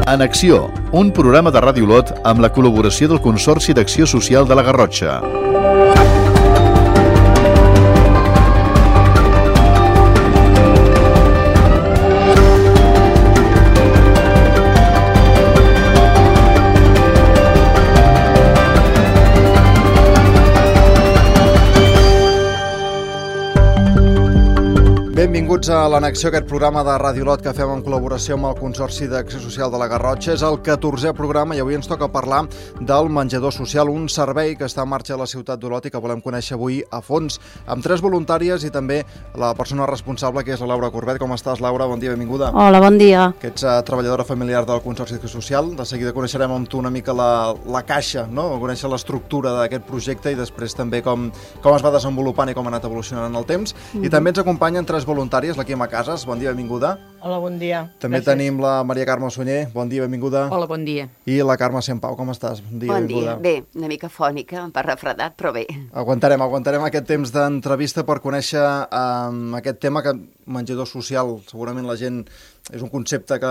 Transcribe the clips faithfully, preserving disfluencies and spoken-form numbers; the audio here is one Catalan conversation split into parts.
En Acció, un programa de Ràdio Olot amb la col·laboració del Consorci d'Acció Social de la Garrotxa. Benvinguts a l'Annexió, aquest programa de Ràdio Olot que fem en col·laboració amb el Consorci d'Acció Social de la Garrotxa. És el catorzè programa i avui ens toca parlar del menjador social, un servei que està en marxa a la ciutat d'Olot i que volem conèixer avui a fons, amb tres voluntàries i també la persona responsable, que és la Laura Corbet. Com estàs, Laura? Bon dia, benvinguda. Hola, bon dia. Que ets uh, treballadora familiar del Consorci d'Acció Social. De seguida coneixerem amb tu una mica la, la caixa, no? Conèixer l'estructura d'aquest projecte i després també com, com es va desenvolupant i com ha anat evolucionant en el temps. Mm-hmm. I també ens acompanyen tres voluntàries, la Quima Casas, bon dia, benvinguda. Hola, bon dia. També Gràcies. Tenim la Maria Carme Sunyer, bon dia, benvinguda. Hola, bon dia. I la Carme Sempau, com estàs? Bon dia, bon benvinguda. Dia, bé, una mica fònica, per refredat, però bé. Aguantarem, aguantarem aquest temps d'entrevista per conèixer um, aquest tema que menjador social, segurament la gent és un concepte que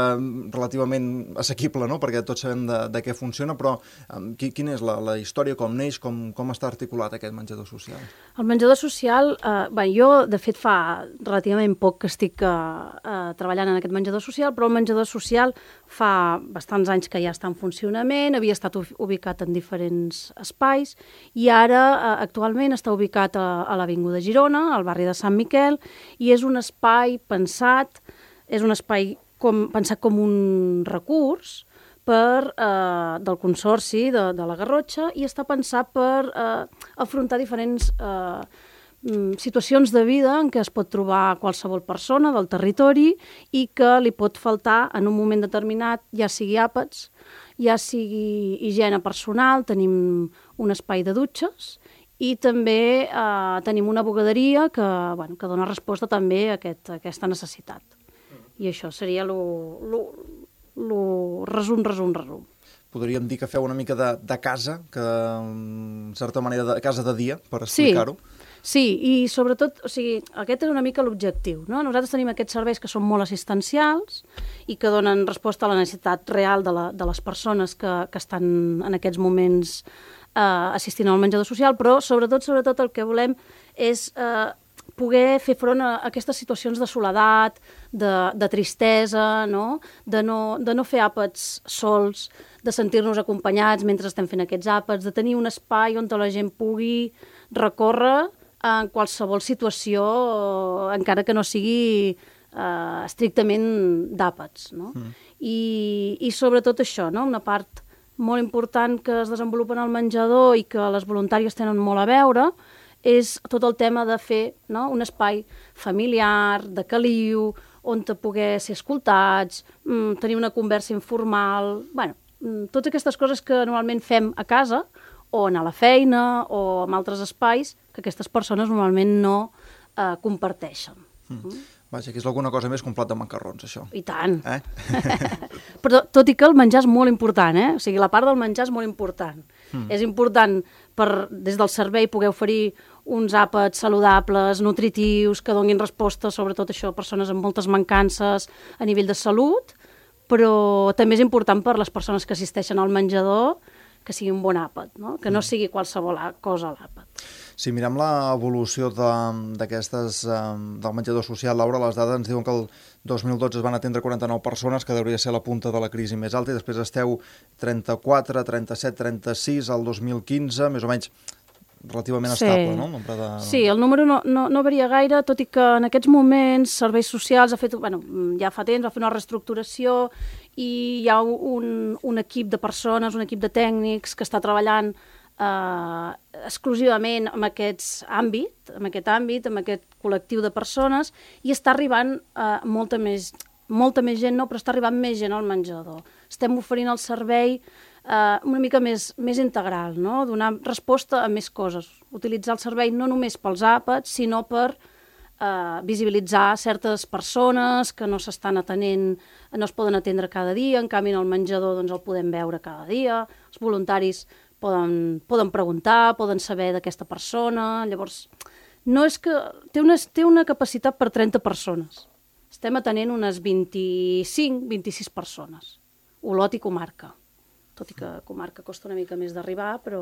relativament assequible, no? Perquè tots sabem de, de què funciona, però um, qui, quina és la, la història, com neix, com, com està articulat aquest menjador social? El menjador social, eh, bé, jo de fet fa relativament poc que estic eh, eh, treballant en aquest menjador social, però el menjador social fa bastants anys que ja està en funcionament, havia estat ubicat en diferents espais i ara eh, actualment està ubicat a, a l'Avinguda Girona, al barri de Sant Miquel, i és un espai pensat, és un espai com, pensat com un recurs per, eh, del Consorci de, de la Garrotxa i està pensat per eh, afrontar diferents eh, situacions de vida en què es pot trobar qualsevol persona del territori i que li pot faltar en un moment determinat, ja sigui àpats, ja sigui higiene personal, tenim un espai de dutxes i també eh, tenim una bugaderia que, bueno, que dona resposta també a, aquest, a aquesta necessitat. I això seria lo, lo, lo resum, resum, resum. Podríem dir que feu una mica de, de casa, que en certa manera de casa de dia, per explicar-ho. Sí, sí, i sobretot, o sigui, aquest és una mica l'objectiu, no? Nosaltres tenim aquests serveis que són molt assistencials i que donen resposta a la necessitat real de, la, de les persones que, que estan en aquests moments eh, assistint al menjador social, però sobretot, sobretot el que volem és eh, poder fer front a aquestes situacions de soledat, de, de tristesa, no? De, no, de no fer àpats sols, de sentir-nos acompanyats mentre estem fent aquests àpats, de tenir un espai on la gent pugui recórrer en qualsevol situació, encara que no sigui eh, estrictament d'àpats, no? Mm. I, I sobretot això, no? Una part molt important que es desenvolupa en el menjador i que les voluntàries tenen molt a veure és tot el tema de fer, no? Un espai familiar, de caliu, on te poder ser escoltats, mmm, tenir una conversa informal, bueno, mmm, totes aquestes coses que normalment fem a casa o anar a la feina o en altres espais que aquestes persones normalment no eh, comparteixen. Mm. Mm. Vaja, que és alguna cosa més que un plat de macarrons, això. I tant. Eh? Però tot i que el menjar és molt important, eh? O sigui, la part del menjar és molt important. Mm. És important per, des del servei, poder oferir uns àpats saludables, nutritius, que donin resposta, sobretot això, a persones amb moltes mancances a nivell de salut, però també és important per les persones que assisteixen al menjador que sigui un bon àpat, no? Que no sigui qualsevol cosa a l'àpat. Si mirem l'evolució d'aquestes del menjador social, Laura, les dades ens diuen que el dos mil dotze es van atendre quaranta-nou persones, que hauria de ser la punta de la crisi més alta, i després esteu trenta-quatre, trenta-set, trenta-sis al dos mil quinze, més o menys relativament sí. estable, no? El nombre de... Sí, el número no, no, no varia gaire, tot i que en aquests moments Serveis Socials ha fet, bueno, ja fa temps, va fer una reestructuració i hi ha un, un equip de persones, un equip de tècnics que està treballant eh, exclusivament en aquests àmbit, en aquest àmbit, en aquest col·lectiu de persones, i està arribant eh, molta més, molta més gent, no, però està arribant més gent al menjador. Estem oferint el servei Uh, una mica més, més integral, no? Donar resposta a més coses. Utilitzar el servei no només pels àpats, sinó per uh, visibilitzar certes persones que no s'estan atenent, no es poden atendre cada dia, en canvi en el menjador doncs, el podem veure cada dia, els voluntaris poden, poden preguntar, poden saber d'aquesta persona, llavors no és que... Té una, té una capacitat per trenta persones. Estem atenent unes vint-i-cinc, vint-i-sis persones. Olot i comarca. Tot i que comarca costa una mica més d'arribar, però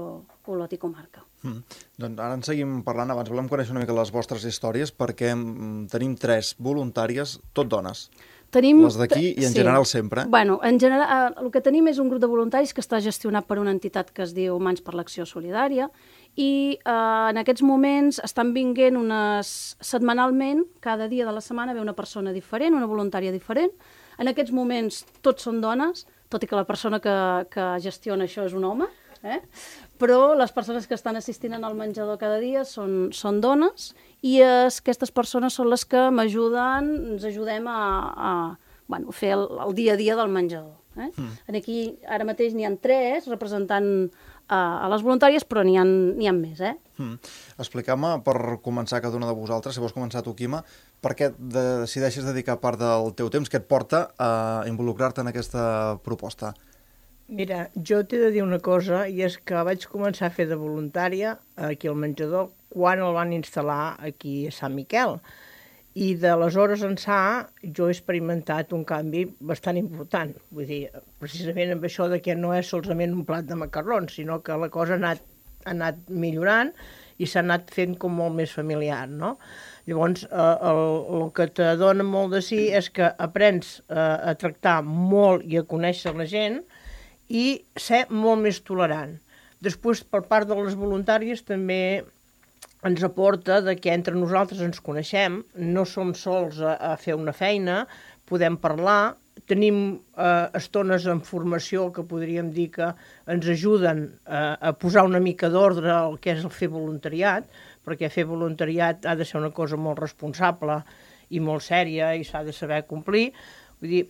Olot i comarca. Mm. Doncs ara en seguim parlant. Abans volem conèixer una mica les vostres històries, perquè mm, tenim tres voluntàries, tot dones. Tenim... Les d'aquí i en sí. general sempre. Bueno, en general, el que tenim és un grup de voluntaris que està gestionat per una entitat que es diu Mans per l'Acció Solidària i eh, en aquests moments estan vinguent unes... setmanalment, cada dia de la setmana ve una persona diferent, una voluntària diferent. En aquests moments tots són dones, tot i que la persona que, que gestiona això és un home, eh? Però les persones que estan assistint al menjador cada dia són, són dones i es, aquestes persones són les que m'ajuden, ens ajudem a, a bueno, fer el, el dia a dia del menjador. Eh? Mm. Aquí ara mateix n'hi ha tres representant a, a les voluntàries, però n'hi ha, n'hi ha més. Eh? Mm. Expliqueu-me, per començar cada una de vosaltres, si vols començar tu, Quima, per què decideixes dedicar part del teu temps que et porta a involucrar-te en aquesta proposta? Mira, jo t'he de dir una cosa, i és que vaig començar a fer de voluntària aquí al menjador quan el van instal·lar aquí a Sant Miquel. I d'aleshores ençà jo he experimentat un canvi bastant important. Vull dir, precisament amb això de que no és solament un plat de macarrons, sinó que la cosa ha anat, ha anat millorant i s'ha anat fent com molt més familiar, no? Llavors, eh, el, el que te dona molt de sí és que aprens eh, a tractar molt i a conèixer la gent i ser molt més tolerant. Després, per part de les voluntàries, també ens aporta de que entre nosaltres ens coneixem, no som sols a, a fer una feina, podem parlar, tenim eh, estones en formació que podríem dir que ens ajuden eh, a posar una mica d'ordre al que és el fer voluntariat, perquè fer voluntariat ha de ser una cosa molt responsable i molt sèria i s'ha de saber complir. Vull dir,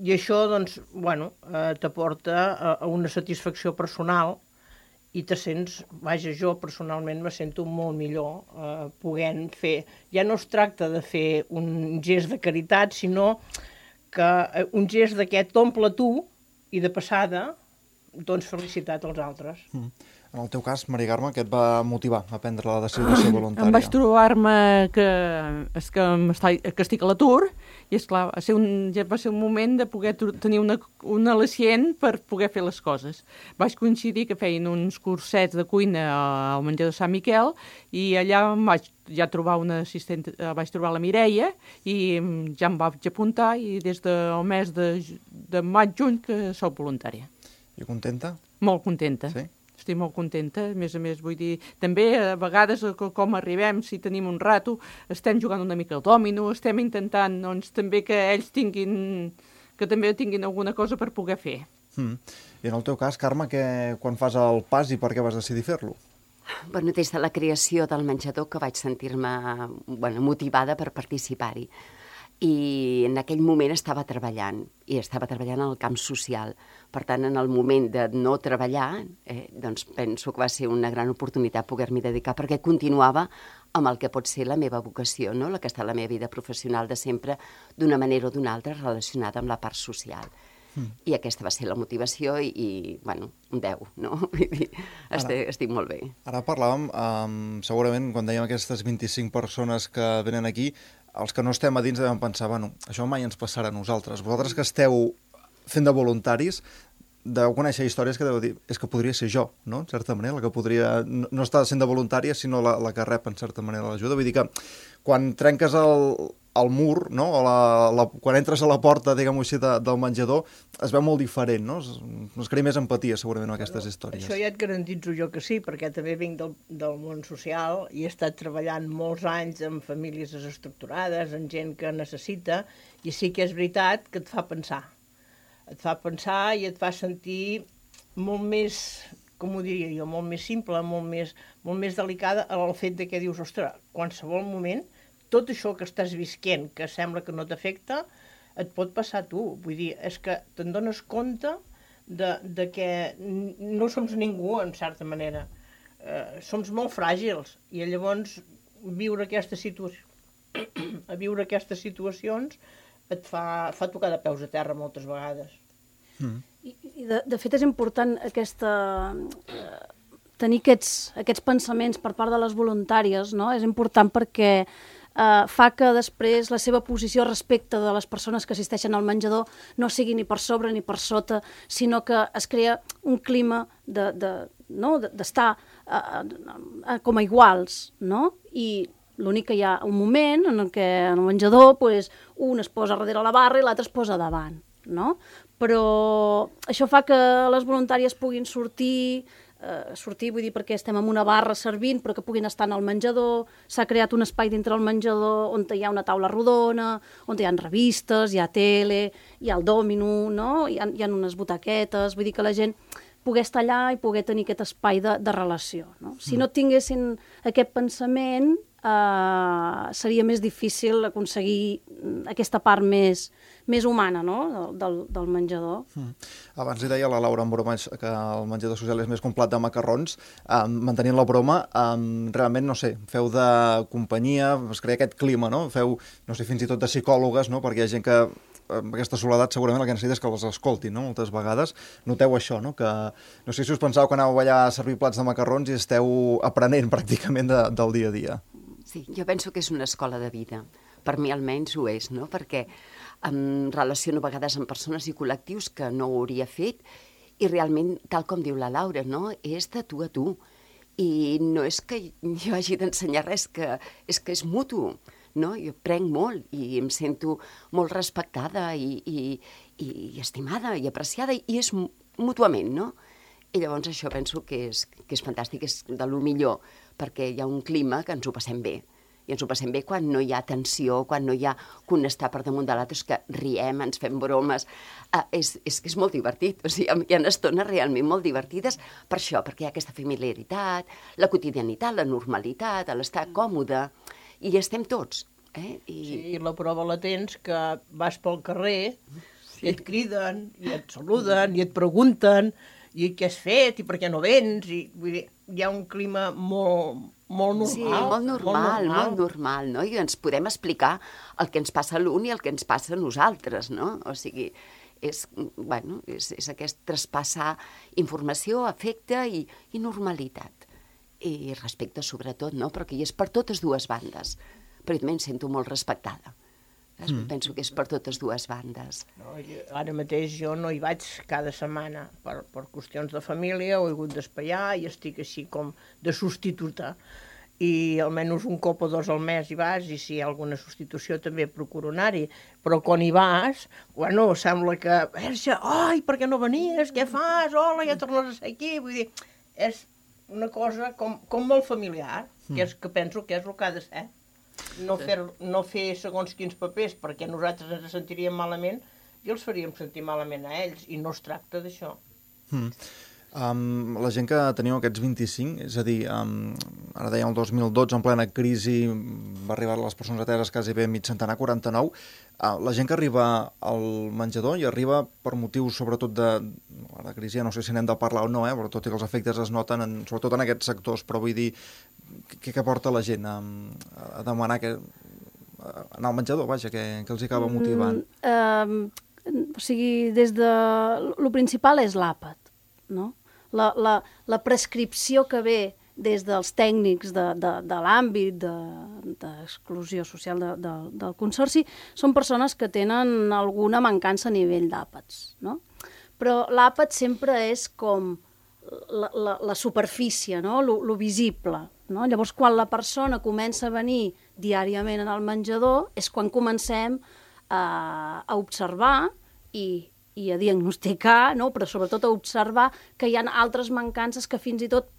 i això, doncs, bueno, eh, t'aporta a, a una satisfacció personal i te sents, vaja, jo personalment me sento molt millor eh, podent fer. Ja no es tracta de fer un gest de caritat, sinó que eh, un gest d'aquest t'omple tu i de passada dones felicitat als altres. Mm. En el teu cas, Maria Carme, què et va motivar a prendre la decisió de ser voluntària? Em vaig trobar-me que, és que, que estic a l'atur i, esclar, va ser un, ja va ser un moment de poder tenir una, un al·licient per poder fer les coses. Vaig coincidir que feien uns cursets de cuina al menjador Sant Miquel i allà em vaig ja trobar una assistent, vaig trobar la Mireia i ja em vaig apuntar i des del mes de, de maig-juny que soc voluntària. I contenta? Molt contenta. Sí? Estic molt contenta, a més a més, vull dir, també a vegades com arribem, si tenim un rato, estem jugant una mica al dòmino, estem intentant, doncs, també que ells tinguin, que també tinguin alguna cosa per poder fer. Mm. I en el teu cas, Carme, que, quan fas el pas i per què vas decidir fer-lo? Bueno, des de la creació del menjador que vaig sentir-me bueno, motivada per participar-hi. I en aquell moment estava treballant, i estava treballant en el camp social. Per tant, en el moment de no treballar, eh, doncs penso que va ser una gran oportunitat poder-m'hi dedicar, perquè continuava amb el que pot ser la meva vocació, no? La que està a la meva vida professional de sempre, d'una manera o d'una altra, relacionada amb la part social. Mm. I aquesta va ser la motivació i, i bueno, un deu, no? Vull dir, estic, estic molt bé. Ara parlàvem, um, segurament, quan dèiem aquestes vint-i-cinc persones que venen aquí, els que no estem a dins devem pensar, bueno, això mai ens passarà a nosaltres. Vosaltres que esteu fent de voluntaris, deu conèixer històries que deu dir, és que podria ser jo, no?, en certa manera, la que podria no, no estar sent de voluntària, sinó la, la que rep, en certa manera, l'ajuda. Vull dir que quan trenques el, el mur, no?, o la, la, quan entres a la porta, diguem-ho així, de, del menjador, es veu molt diferent, no? Es, es crea més empatia, segurament, en aquestes històries. Això ja et garantitzo jo que sí, perquè també vinc del, del món social i he estat treballant molts anys amb famílies desestructurades, amb gent que necessita, i sí que és veritat que et fa pensar. Et fa pensar i et fa sentir molt més, com ho diria jo, molt més simple, molt més, molt més delicada al fet de que dius, ostres, qualsevol moment, tot això que estàs visquent, que sembla que no t'afecta, et pot passar a tu. Vull dir, és que te'n dones compte de, de que no som ningú, en certa manera. Eh, som molt fràgils i llavors viure aquesta situació, a viure aquestes situacions et fa, fa tocar de peus a terra moltes vegades. Mm. I, i de, de fet és important aquesta, eh, tenir aquests, aquests pensaments per part de les voluntàries, no? És important perquè eh, fa que després la seva posició respecte de les persones que assisteixen al menjador no sigui ni per sobre ni per sota, sinó que es crea un clima de, de, no? d'estar eh, eh, com a iguals, no? I l'únic que hi ha un moment en què en el menjador pues, un es posa darrere la barra i l'altre es posa davant, no? Però això fa que les voluntàries puguin sortir, eh, sortir vull dir perquè estem en una barra servint, però que puguin estar en el menjador. S'ha creat un espai dintre el menjador on hi ha una taula rodona, on hi ha revistes, hi ha tele, hi ha el dòmino, no? hi, ha, hi ha unes butaquetes, vull dir que la gent poder estar allà i poder tenir aquest espai de, de relació. No? Si no tinguessin aquest pensament, eh, seria més difícil aconseguir aquesta part més, més humana, no? del, del, del menjador. Mm. Abans li deia a la Laura en broma que el menjador social és més que un plat de macarrons. Um, mantenint la broma, um, realment, no sé, feu de companyia, es crea aquest clima, no? Feu, no sé, fins i tot de psicòlogues, no? Perquè hi ha gent que amb aquesta soledat segurament el que necessita és que les escoltin, no? Moltes vegades noteu això, no? Que no sé si us pensàveu que anàveu allà a servir plats de macarrons i esteu aprenent pràcticament de, del dia a dia. Sí, jo penso que és una escola de vida. Per mi almenys ho és, no? Perquè em relaciono a vegades amb persones i col·lectius que no ho hauria fet i realment, tal com diu la Laura, no? És de tu a tu. I no és que jo hagi d'ensenyar res, que és que és mutu. No? Jo prenc molt i em sento molt respectada i, i, i estimada i apreciada i és mútuament, no? I llavors això penso que és, que és fantàstic, és de lo millor, perquè hi ha un clima que ens ho passem bé. I ens ho passem bé quan no hi ha tensió, quan no hi ha que un està per damunt de l'altre, és que riem, ens fem bromes. Uh, és, és que és molt divertit, o sigui, hi ha estones realment molt divertides per això, perquè hi ha aquesta familiaritat, la quotidianitat, la normalitat, l'estar còmode, i estem tots. Eh? I... Sí, i la prova la tens que vas pel carrer, sí. I et criden, i et saluden, i et pregunten, i què has fet, i per què no vens, i vull dir, hi ha un clima molt, molt normal. Sí, molt normal, molt normal, molt normal, no? I ens podem explicar el que ens passa a l'un i el que ens passa a nosaltres, no? O sigui, és, bueno, és, és aquest traspassar informació, afecte i, i normalitat. I respecte sobretot, no? Perquè és per totes dues bandes. Però jo també em sento molt respectada. Mm. Penso que és per totes dues bandes. No, ara mateix jo no hi vaig cada setmana per, per qüestions de família, ho he hagut d'espaiar i estic així com de substituta. I almenys un cop o dos al mes hi vas i si hi ha alguna substitució també procuro anar-hi. Però quan hi vas, bueno, sembla que... Verge, ai, per què no venies? Què fas? Hola, ja tornes a ser aquí. Vull dir, és una cosa com, com molt familiar, mm. que és que penso que és el que ha de ser. No fer, no fer segons quins papers perquè nosaltres ens sentiríem malament i els faríem sentir malament a ells i no es tracta d'això. Mm. Um, la gent que teniu aquests vint-i-cinc, és a dir, um, ara deia el dos mil dotze, en plena crisi, va arribar les persones ateses quasi bé mig centenar, quaranta-nou. Uh, la gent que arriba al menjador i arriba per motius sobretot de, de crisi, no sé si n'hem de parlar o no, eh, però tot i que els efectes es noten, en, sobretot en aquests sectors, però vull dir, què, què porta la gent a, a demanar que, a anar al menjador, vaja, què, què els acaba motivant? Mm, uh, o sigui, des de... Lo principal és l'àpat, no? La, la, la prescripció que ve des dels tècnics de, de, de l'àmbit d'exclusió de, social de, de, del Consorci són persones que tenen alguna mancança a nivell d'àpats, no? Però l'àpat sempre és com la, la, la superfície, no? Lo, lo visible, no? Llavors, quan la persona comença a venir diàriament en el menjador és quan comencem a, a observar i i a diagnosticar, no? Però sobretot a observar que hi ha altres mancances que fins i tot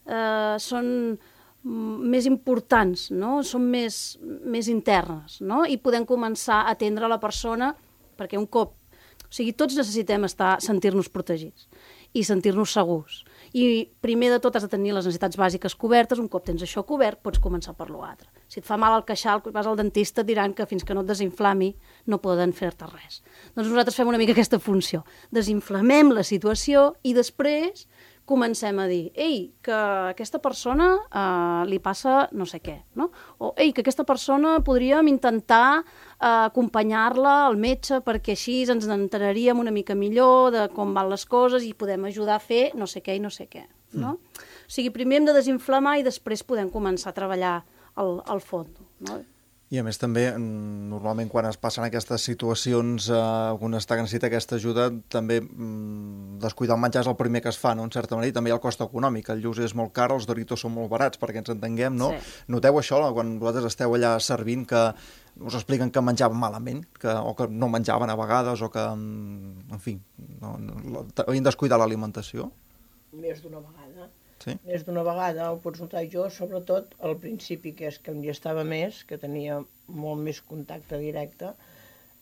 eh, són més importants, no? Són més, més internes, no? I podem començar a atendre la persona perquè un cop... O sigui, tots necessitem estar, sentir-nos protegits i sentir-nos segurs. I primer de tot has de tenir les necessitats bàsiques cobertes, un cop tens això cobert pots començar per l'altre. Si et fa mal el queixal, vas al dentista, et diran que fins que no et desinflami no poden fer-te res. Doncs nosaltres fem una mica aquesta funció. Desinflamem la situació i després comencem a dir, ei, que aquesta persona eh, li passa no sé què, no? O ei, que aquesta persona podríem intentar eh, acompanyar-la al metge perquè així ens enteraríem una mica millor de com van les coses i podem ajudar a fer no sé què i no sé què, no? Mm. O sigui, primer hem de desinflamar i després podem començar a treballar al, al fons, no? I a més també, normalment quan es passen aquestes situacions, eh, un està que necessita aquesta ajuda, també mm, descuidar el menjar és el primer que es fa, no? En certa manera, i també hi ha el cost econòmic. El lluç és molt car, els Doritos són molt barats, perquè ens entenguem, no? Sí. Noteu això quan vosaltres esteu allà servint, que us expliquen que menjaven malament, que, o que no menjaven a vegades, o que, en fi, no, no, havien descuidat l'alimentació? Més d'una vegada. Sí? Més d'una vegada ho pots notar jo, sobretot al principi, que és que em estava més, que tenia molt més contacte directe,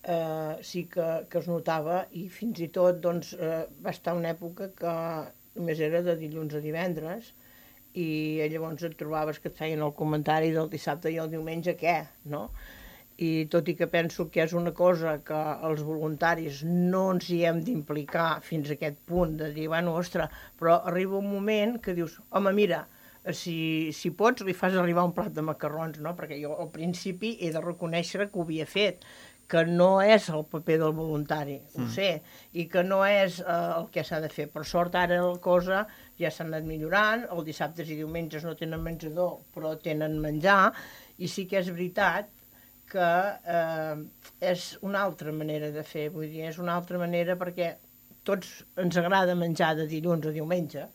eh, sí que, que es notava, i fins i tot doncs, eh, va estar una època que només era de dilluns a divendres, i llavors et trobaves que et feien el comentari del dissabte i el diumenge què, no? I tot i que penso que és una cosa que els voluntaris no ens hi hem d'implicar fins a aquest punt de dir, bueno, ostres, però arriba un moment que dius, home, mira, si, si pots li fas arribar un plat de macarrons, no? Perquè jo al principi he de reconèixer que ho havia fet, que no és el paper del voluntari, ho mm. sé, i que no és eh, el que s'ha de fer. Per sort, ara la cosa ja s'ha anat millorant, els dissabtes i diumenges no tenen menjador, però tenen menjar, i sí que és veritat que eh, és una altra manera de fer, vull dir, és una altra manera perquè tots ens agrada menjar de dilluns a diumenge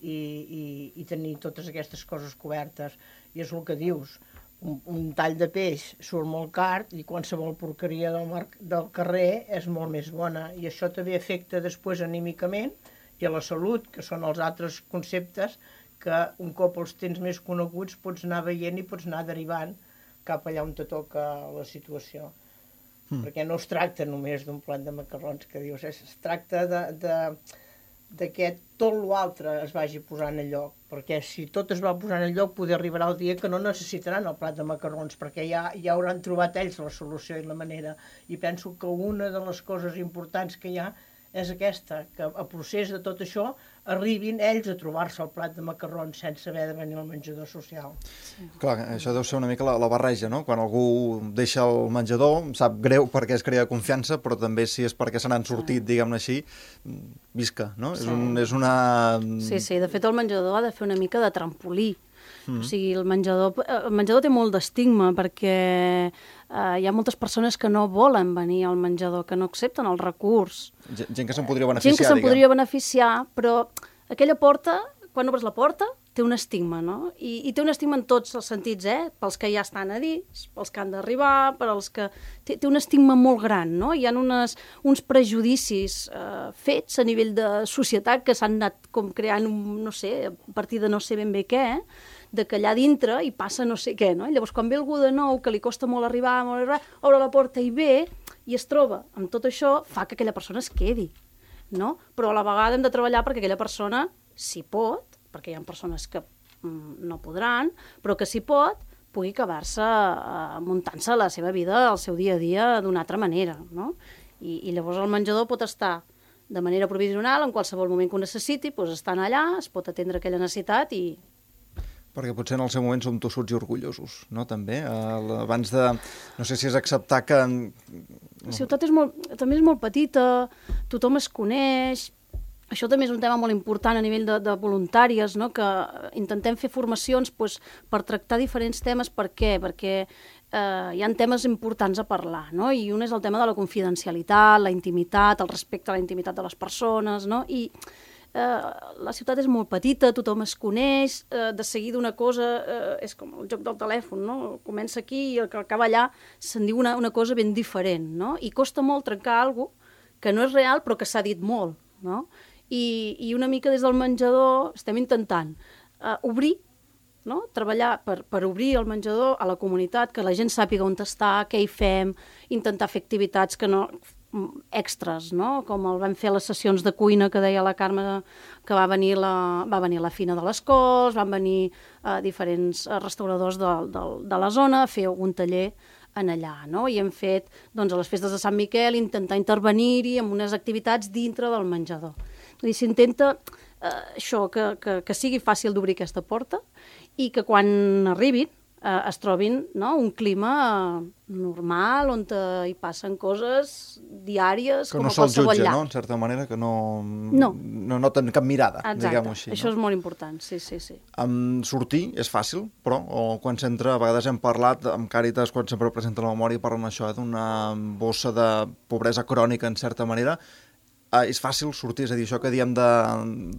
i, i, i tenir totes aquestes coses cobertes, i és el que dius, un, un tall de peix surt molt car i qualsevol porqueria del, mar, del carrer és molt més bona, i això també afecta després anímicament i a la salut, que són els altres conceptes que un cop els tens més coneguts pots anar veient i pots anar derivant cap allà on te toca la situació. Mm. Perquè no es tracta només d'un plat de macarrons, que dius, es, es tracta de, de, de que tot l'altre es vagi posant en lloc, perquè si tot es va posant en lloc, poder arribarà el dia que no necessitaran el plat de macarrons, perquè ja, ja hauran trobat ells la solució i la manera. I penso que una de les coses importants que hi ha és aquesta, que a procés de tot això arribin ells a trobar-se el plat de macarrons sense haver de venir al menjador social. Sí. Clar, això deu ser una mica la, la barreja, no? Quan algú deixa el menjador, sap greu perquè es crea confiança, però també si és perquè se n'han sortit, sí. diguem-ne així, visca, no? Sí. És, un, és una... Sí, sí, de fet el menjador ha de fer una mica de trampolí. Mm. O sigui, el menjador, el menjador té molt d'estigma perquè eh, hi ha moltes persones que no volen venir al menjador, que no accepten el recurs. Gent que se'n podria beneficiar, Gent que se'n diguem. podria beneficiar, però aquella porta, quan obres la porta, té un estigma, no? I, i té un estigma en tots els sentits, eh? Pels que ja estan a dins, pels que han d'arribar, per als que... Té, té un estigma molt gran, no? Hi ha unes, uns prejudicis eh, fets a nivell de societat que s'han anat com creant, un, no sé, a partir de no sé ben bé què, eh? De que allà dintre hi passa no sé què, no? I llavors quan ve algú de nou, que li costa molt arribar, molt arribar, obre la porta i ve, i es troba amb tot això, fa que aquella persona es quedi, no? Però a la vegada hem de treballar perquè aquella persona, si pot, perquè hi ha persones que mm, no podran, però que si pot, pugui acabar-se eh, muntant-se la seva vida, el seu dia a dia, d'una altra manera, no? I, i llavors el menjador pot estar de manera provisional, en qualsevol moment que ho necessiti, doncs estan allà, es pot atendre aquella necessitat i... Perquè potser en el seu moment som tossuts i orgullosos, no? També, uh, abans de... No sé si és acceptar que... La ciutat és molt, també és molt petita, tothom es coneix, això també és un tema molt important a nivell de, de voluntàries, no? Que intentem fer formacions doncs, per tractar diferents temes. Per què? Perquè eh, hi ha temes importants a parlar, no? I un és el tema de la confidencialitat, la intimitat, el respecte a la intimitat de les persones, no? I eh, la ciutat és molt petita, tothom es coneix, eh, de seguida una cosa eh, és com el joc del telèfon, no? Comença aquí i el que acaba allà se'n diu una, una cosa ben diferent, no? I costa molt trencar alguna cosa que no és real però que s'ha dit molt, no? I, i una mica des del menjador estem intentant uh, obrir, no? Treballar per, per obrir el menjador a la comunitat, que la gent sàpiga on està, què hi fem, intentar fer activitats que no, extras, no? Com el vam fer les sessions de cuina que deia la Carme, que va venir la, va venir la Fina de les Cols, van venir uh, diferents uh, restauradors de, de, de la zona a fer algun taller en allà, no? I hem fet, doncs, a les festes de Sant Miquel, intentar intervenir-hi amb unes activitats dintre del menjador. Vull dir, s'intenta eh, això, que, que, que sigui fàcil d'obrir aquesta porta i que quan arribin eh, es trobin, no? Un clima normal on hi passen coses diàries que com no a qualsevol jutge, llar. no? En certa manera, que no, no. no noten cap mirada, diguem-ho així. Això no? és molt important, sí, sí, sí. Um, sortir és fàcil, però o quan s'entra, a vegades hem parlat amb Càritas, quan sempre presenta la memòria, parlen això, eh, d'una bossa de pobresa crònica, en certa manera. Uh, és fàcil sortir, és a dir, això que diem de,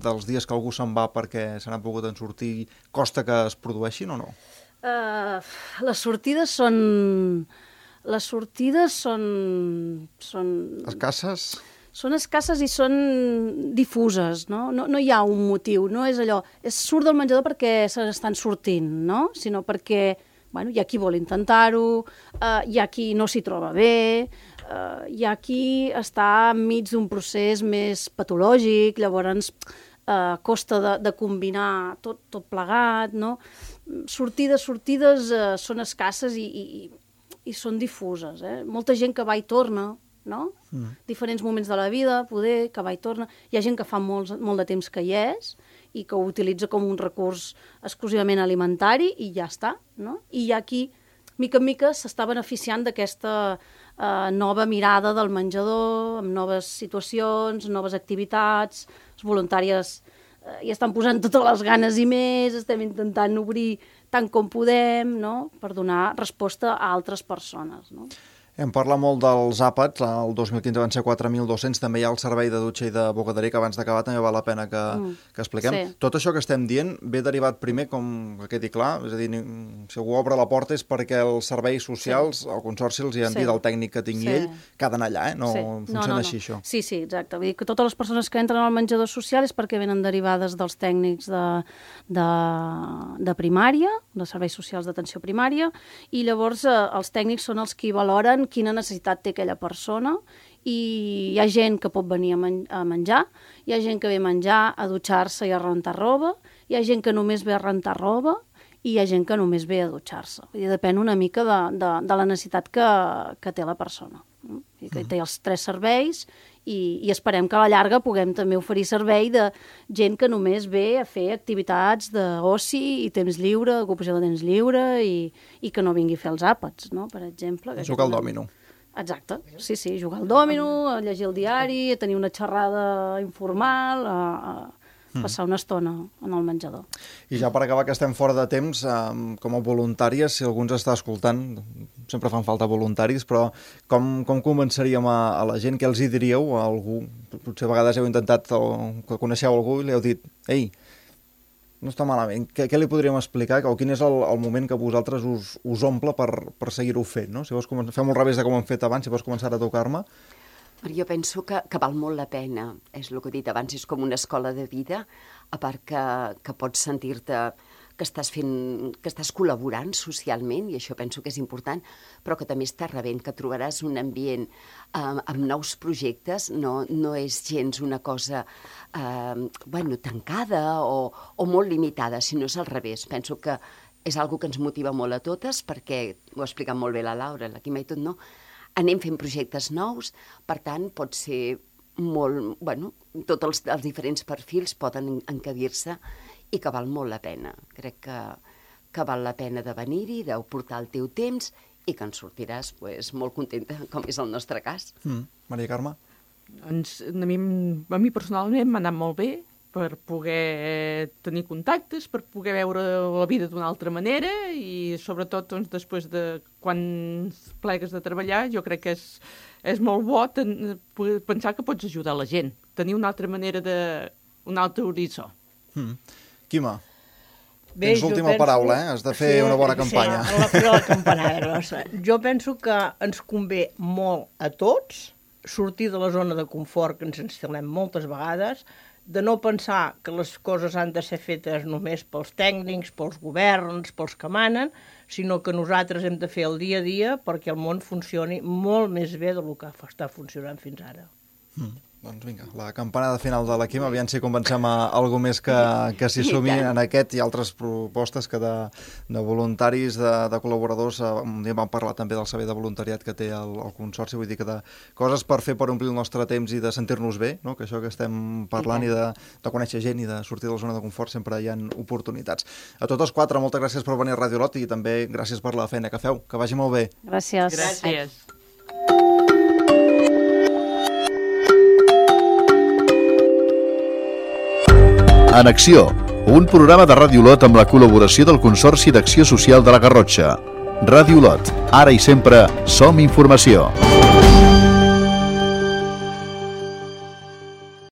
dels dies que algú se'n va perquè se n'ha pogut en sortir, costa que es produeixin o no? Uh, les sortides són... Les sortides són... són... Escasses? Són escasses i són difuses, no? No, no hi ha un motiu, no és allò... És surt del menjador perquè se n'estan sortint, no? Sinó perquè, bueno, hi ha qui vol intentar-ho, uh, hi ha qui no s'hi troba bé, uh, hi ha qui està enmig d'un procés més patològic, llavors uh, costa de, de combinar tot, tot plegat, no? Sortides, sortides uh, són escasses i, i, i són difuses, eh? Molta gent que va i torna, no? Mm. Diferents moments de la vida, poder, que va i torna. Hi ha gent que fa molt, molt de temps que hi és i que ho utilitza com un recurs exclusivament alimentari i ja està, no? I hi ha qui, mica en mica, s'està beneficiant d'aquesta eh, nova mirada del menjador, amb noves situacions, noves activitats, les voluntàries eh, hi estan posant totes les ganes i més, estem intentant obrir tant com podem, no?, per donar resposta a altres persones, no? Hem parlat molt dels àpats, el dos mil quinze van ser quatre mil dos-cents, també hi ha el servei de dutxa i de bogaderia, que abans d'acabar també val la pena que, mm. que expliquem. Sí. Tot això que estem dient ve derivat primer, com que quedi clar, és a dir, si algú obre la porta és perquè els serveis socials, sí. el Consorci els hi han sí. dit el tècnic que tingui sí. ell, que ha d'anar allà, eh? No sí. funciona no, no, no. així, això. Sí, sí, exacte. Vull dir que totes les persones que entren al menjador social és perquè venen derivades dels tècnics de, de, de primària, de serveis socials d'atenció primària, i llavors eh, els tècnics són els qui valoren quina necessitat té aquella persona, i hi ha gent que pot venir a, men a menjar, hi ha gent que ve a menjar, a dutxar-se i a rentar roba, hi ha gent que només ve a rentar roba i hi ha gent que només ve a dutxar-se. Depèn una mica de, de, de la necessitat que, que té la persona. I que té els tres serveis i, i esperem que a la llarga puguem també oferir servei de gent que només ve a fer activitats d'oci i temps lliure, ocupació de temps lliure i, i que no vingui a fer els àpats, no?, per exemple. Jugar al dòmino. Exacte, sí, sí, jugar al dòmino, a llegir el diari, a tenir una xerrada informal, a, a passar una estona en el menjador. I ja per acabar, que estem fora de temps, eh, com a voluntàries, si algú ens està escoltant, sempre fan falta voluntaris, però com, com convenceríem a, a la gent, què els hi diríeu a algú? Potser a vegades heu intentat, o que coneixeu algú i li heu dit, ei, no està malament, què, què li podríem explicar, o quin és el, el moment que vosaltres us, us omple per, per seguir-ho fent, no? Si vols fem al revés de com hem fet abans, si vols començar a tocar-me. Jo penso que, que val molt la pena, és el que he dit abans, és com una escola de vida, a part que, que pots sentir-te que estàs fent, que estàs col·laborant socialment, i això penso que és important, però que també estàs rebent, que trobaràs un ambient eh, amb nous projectes, no, no és gens una cosa eh, bueno, tancada o, o molt limitada, sinó és al revés. Penso que és algo que ens motiva molt a totes, perquè ho ha explicat molt bé la Laura, la Quima i tot, no? Anem fent projectes nous, per tant, pot ser molt... Bueno, tots els, els diferents perfils poden encabir-se i que val molt la pena. Crec que, que val la pena de venir-hi, de portar el teu temps i que en sortiràs pues, molt contenta, com és el nostre cas. Mm. Maria Carme? Ens, a, mi, a mi personalment m'ha anat molt bé per poder tenir contactes, per poder veure la vida d'una altra manera i sobretot doncs, després de quan plegues de treballar jo crec que és, és molt bo ten, pensar que pots ajudar la gent, tenir una altra manera de... un altre horitzó. Mm. Quima, bé, tens l'última penso... paraula, eh? Has de fer sí, una bona campanya. Sí, la, la campanada. Jo penso que ens convé molt a tots sortir de la zona de confort que ens instal·lem moltes vegades, de no pensar que les coses han de ser fetes només pels tècnics, pels governs, pels que manen, sinó que nosaltres hem de fer el dia a dia perquè el món funcioni molt més bé del que està funcionant fins ara. Mm. Doncs vinga, la campanada final de la Quima, aviam si convencem a algú més que, que s'hi sumi en aquest i altres propostes que de, de voluntaris, de, de col·laboradors. Un dia vam parlar també del servei de voluntariat que té el, el Consorci, vull dir que de coses per fer per omplir el nostre temps i de sentir-nos bé, no? Que això que estem parlant i, i de, de conèixer gent i de sortir de la zona de confort sempre hi ha oportunitats. A tots els quatre, moltes gràcies per venir a Radio Lot i també gràcies per la feina que feu. Que vagi molt bé. Gràcies. Gràcies. En acció, un programa de Ràdio Olot amb la col·laboració del Consorci d'Acció Social de la Garrotxa. Ràdio Olot, ara i sempre som informació.